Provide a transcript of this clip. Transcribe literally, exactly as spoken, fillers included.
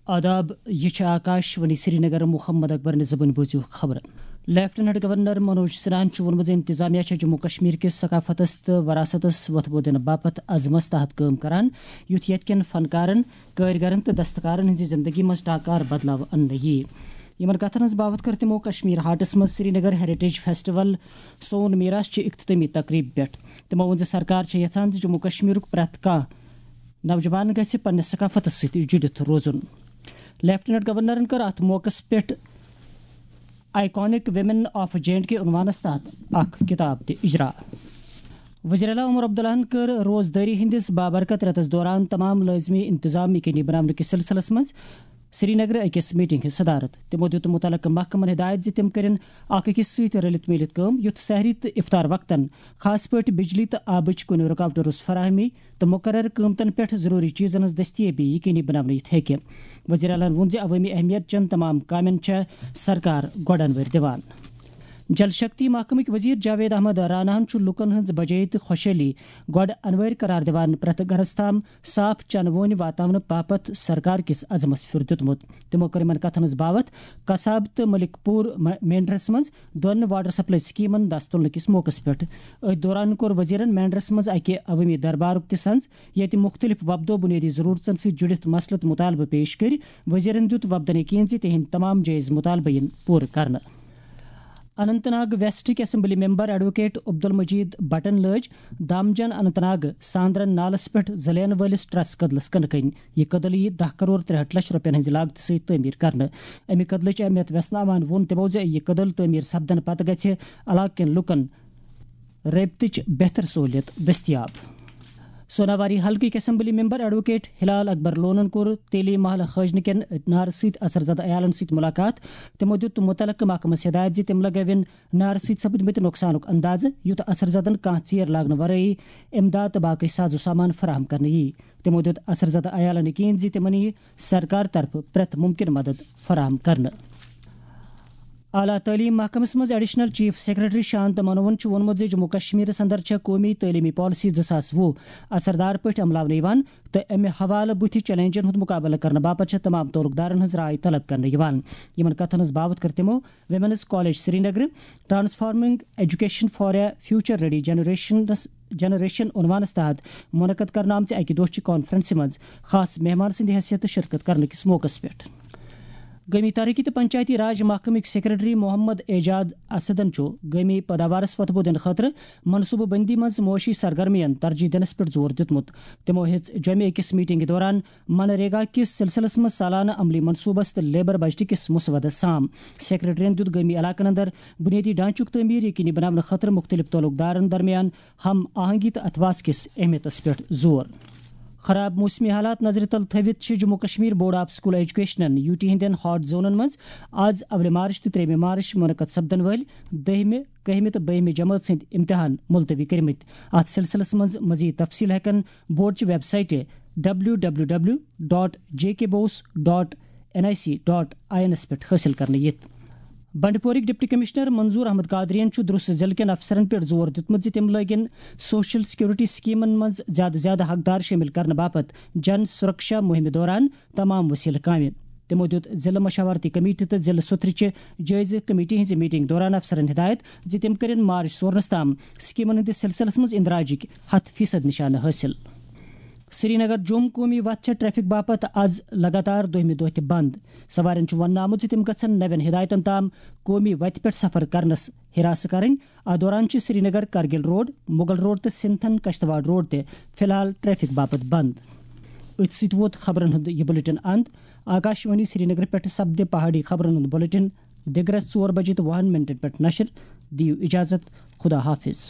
آداب، یہِ چھِ آکاش وانی سرینگر۔ محمد اکبر نِزبٕنۍ بوٗزِو خبرٕ۔ لیفٹیننٹ گورنر منوج سنہاہن چھُ ووٚنمُت زِ انتظامیہ چھےٚ جموں کشمیر کِس ثقافتس تہٕ وراثتس وۄتھٕ بو دِنہٕ باپتھ عزمس تحت کٲم کران، یُتھ ییٚتہِ کٮ۪ن فنکارن، کٲرۍگرن تہٕ دستکارن ہٕنٛزِ زندگی منٛز ٹاکار بدلاو اننہٕ یِیہِ۔ یِمن کتھن ہٕنٛز باوتھ کٔر تِمو کشمیر ہاٹس منٛز سرینگر ہیریٹیج فیسٹیول سون میراث چہِ اختتٲمی تقریبہِ پٮ۪ٹھ۔ تِمو ووٚن زِ سرکار چھےٚ یژھان زِ جموں کشمیرُک پرٛٮ۪تھ کانٛہہ نوجوان گژھِ پننِس ثقافتس سۭتۍ جُڑِتھ روزُن۔ لیفٹیننٹ گورنرن کٔر اتھ موقعس پٮ۪ٹھ iconic women of J and K عنوانس تحت اکھ کتاب تہِ اجرا۔ وزیر اعلیٰ عمر عبداللہن کٔر روزدٲری ہٕنٛدِس بابرکت رٮ۪تس دوران تمام لٲزمی انتظام یقینی بناونہٕ کِس سلسلس منٛز سرینگرٕ أکِس میٹنگ ہٕنٛز صدارت۔ تِمو دیُت مُتعلقہٕ محکمن ہدایت زِ تِم کٔرِن اکھ أکِس سۭتۍ رٔلِتھ میٖلِتھ کٲم، یُتھ سحری تہٕ افطار وقتن، خاص پٲٹھۍ بجلی تہٕ آبٕچ کُنہِ رُکاوٹہٕ روٚس فراہمی تہٕ مقررٕ قۭمتن پٮ۪ٹھ ضروٗری چیٖزن ہٕنٛز دٔستیٲبی یقینی بناونہٕ یِتھ ہیٚکہِ۔ وزیر اعلیٰ ووٚن زِ عوٲمی اہمیت چٮ۪ن تمام کامٮ۪ن چھےٚ سرکار گۄڈٕ انوٲرۍ دِوان۔ جل شکتی محکمٕکۍ وزیر جاوید احمد راناہن چھُ لوٗکن ہٕنٛز بجٲیی تہٕ خۄشحٲلی گۄڈٕ انوٲرۍ قرار دِوان پرٛٮ۪تھ گرس تام صاف چنہٕ وونہِ واتناونہٕ باپتھ سرکار کِس عزمس پھیُر دیُتمُت۔ تِمو کٔر یِمن کتھن ہٕنٛز باوتھ کساب تہٕ ملک پوٗر م-، مینڈرس منٛز دۄن واٹر سپلائی سکیمن دس تُلنہٕ کِس موقعس پٮ۪ٹھ۔ أتھۍ دوران کوٚر وزیرن مینڈرس منٛز اکہِ عوٲمی دربارُک تہِ سنز، ییٚتہِ مُختٔلِف وفدو بُنیٲدی ضروٗرژن سۭتۍ جُڑِتھ مسلہٕ تہٕ مُطالبہٕ پیش کٔرۍ۔ وزیرن دیُت وفدن یقین زِ تِہنٛدۍ تمام جٲیز مُطالبہٕ یِن پوٗرٕ کرنہٕ۔ Anant Nag ویسٹٕکۍ assembly member advocate Abdul Majeed بٹن لٲج دامجن اننت ناگ ساندرن نالس پٮ۪ٹھ زلین وٲلِس ٹرس کدلس کٕنہٕ کٕنۍ۔ یہِ کدل یِیہِ دَہ کرور ترٛےٚ ہَتھ لچھ رۄپین ہٕنٛزِ لاگتہٕ سۭتۍ تعمیٖر کرنہٕ۔ اَمہِ کدلٕچ اہمیت ویژناوان ووٚن تِمو زِ یہِ کدل تعمیٖر سپدنہٕ پتہٕ گژھِ علاقہٕ کٮ۪ن لوٗکن رٲبطٕچ بہتر سہوٗلیت دٔستیاب۔ سوناواری حلقٕکۍ اسمبلی ممبر ایڈووکیٹ ہلال اکبر لونن کوٚر تیلی محلہٕ خٲجنہٕ کٮ۪ن نارٕ سۭتۍ اثر زدٕ عیالن سۭتۍ مُلاقات۔ تِمو دیُت مُتعلقہٕ محکمس ہدایت زِ تِم لگٲوِن نارٕ سۭتۍ سپدمٕتۍ نۄقصانُک اندازٕ، یُتھ اثر زدن کانٛہہ ژیر لاگنہٕ ورٲیی امداد تہٕ باقٕے ساز و سامان فراہم کرنہٕ یِیہِ۔ تِمو دیُت اثر زدٕ عیالن یقین زِ تِمن یِیہِ سرکار طرفہٕ پرٛٮ۪تھ مُمکِن مدد فراہم کرنہٕ۔ اعلیٰ تعلیٖم محکمس منٛز ایڈیشنل چیف سیکرٹری شانت منوہن چھُ ووٚنمُت زِ جموں کشمیرس اندر چھےٚ قومی تعلیمی پالیسی زٕ ساس وُہ اثردار پٲٹھۍ عملاونہٕ یِوان تہٕ امہِ حوالہٕ بُتھِ چیلنجن ہُنٛد مُقابلہٕ کرنہٕ باپتھ چھےٚ تمام تعلق دارن ہٕنٛز راے طلب کرنہٕ یِوان۔ یِمن کتھن ہٕنٛز باوتھ کٔر تِمو ویمنز کالج سرینگرٕ Transforming Education for a Future Ready Generationس، Generation عنوانس تحت منعقد کرنہٕ آمژِ اکہِ دۄہ چہِ کانفرنسہِ منٛز خاص مہمان سٕنٛدِ حیثیتہٕ شرکت کرنہٕ کِس موقعس پٮ۪ٹھ۔ قومی ترقی تہٕ پنچایتی راج محکمٕکۍ سیکرٹری محمد اعجاز اسدن چھُ قومی پیداوارس وۄتھٕ بو دِنہٕ خٲطرٕ منصوٗبہٕ بندی منٛز معاشی سرگرمیَن ترجیح دِنس پٮ۪ٹھ زور دیُتمُت۔ تِمو ہیٚژ جوٚمہِ أکِس میٹنگہِ دوران منریگا کِس سلسلس منٛز سالانہٕ عملی منصوٗبس تہٕ لیبر بجٹ کِس مسودس سام۔ سیکرٹریَن دیُت گٲمی علاقن اندر بنیٲدی ڈھانچُک تعمیٖر یقینی بناونہٕ خٲطرٕ مُختٔلِف تعلق دارن درمیان ہم آہنگی تہٕ اتھواس کِس اہمیتس پٮ۪ٹھ زور۔ خراب موسمی حالات نظرِ تل تھٲوِتھ چھِ Jammu Kashmir board of school ایجوکیشنن یوٗ ٹی ہٕنٛدٮ۪ن ہاٹ زونن منٛز آز اولہِ مارچ تہٕ ترٛیٚیِمہِ مارچ منعقد سپدن وٲلۍ دٔہمہِ، کٔہمہِ تہٕ بٔہمہِ جمٲژ ہٕنٛدۍ امتحان ملتوی کٔرمٕتۍ۔ اتھ سلسلس منٛز مزید تفصیل ہیٚکن بورڈ چہِ ویب سایٹہِ W W W dot J K BOSE dot N I C dot I اینس پٮ۪ٹھ حٲصِل کرنہٕ یِتھ۔ بنڈپورٕکۍ ڈپٹی کمشنر منظور احمد قادریَن چھُ درست ضلعہٕ کٮ۪ن افسرن پٮ۪ٹھ زور دیُتمُت زِ تِم لٲگِن سوشل سیکورٹی سکیمن منٛز زیادٕ زیادٕ حقدار شٲمِل کرنہٕ باپتھ جن سرکشا مُہِمہِ دوران تمام وسیلہٕ کامہِ۔ تِمو دیُت ضلعہٕ مشاورتی کمیٹی تہٕ ضلعہٕ سُتھرٕچہِ جٲیزٕ کمیٹی ہٕنٛزِ میٹنگ دوران افسرن ہدایت زِ تِم کٔرِن مارچ سورنس تام سکیمن ہٕنٛدِس سلسلس منٛز اندراجٕکۍ ہتھ فیصد نشانہٕ حٲصِل۔ سرینگر جوٚم قومی وتھ چھےٚ ٹریفک باپتھ از لگاتار دوٚیمہِ دۄہ تہِ بند۔ سوارٮ۪ن چھُ وننہٕ آمُت زِ تِم گژھن نوٮ۪ن ہدایتن تام قومی وتہِ پٮ۪ٹھ سفر کرنس ہراس کرٕنۍ۔ اتھ دوران چھِ سرینگر کرگل روڈ، مغل روڈ تہٕ سنتھن کشتواڑ روڈ تہِ فی الحال ٹریفک باپتھ بند۔ أتھۍ سۭتۍ ووت خبرن ہُنٛد یہِ بلیٹن اند۔ آکاشوانی سرینگر پٮ۪ٹھ سپدِ پہاڑی خبرن ہُنٛد بلیٹن دِگرس ژور بجے تہٕ وُہن منٹن پٮ۪ٹھ نشر۔ دِیِو اجازت، خدا حافظ۔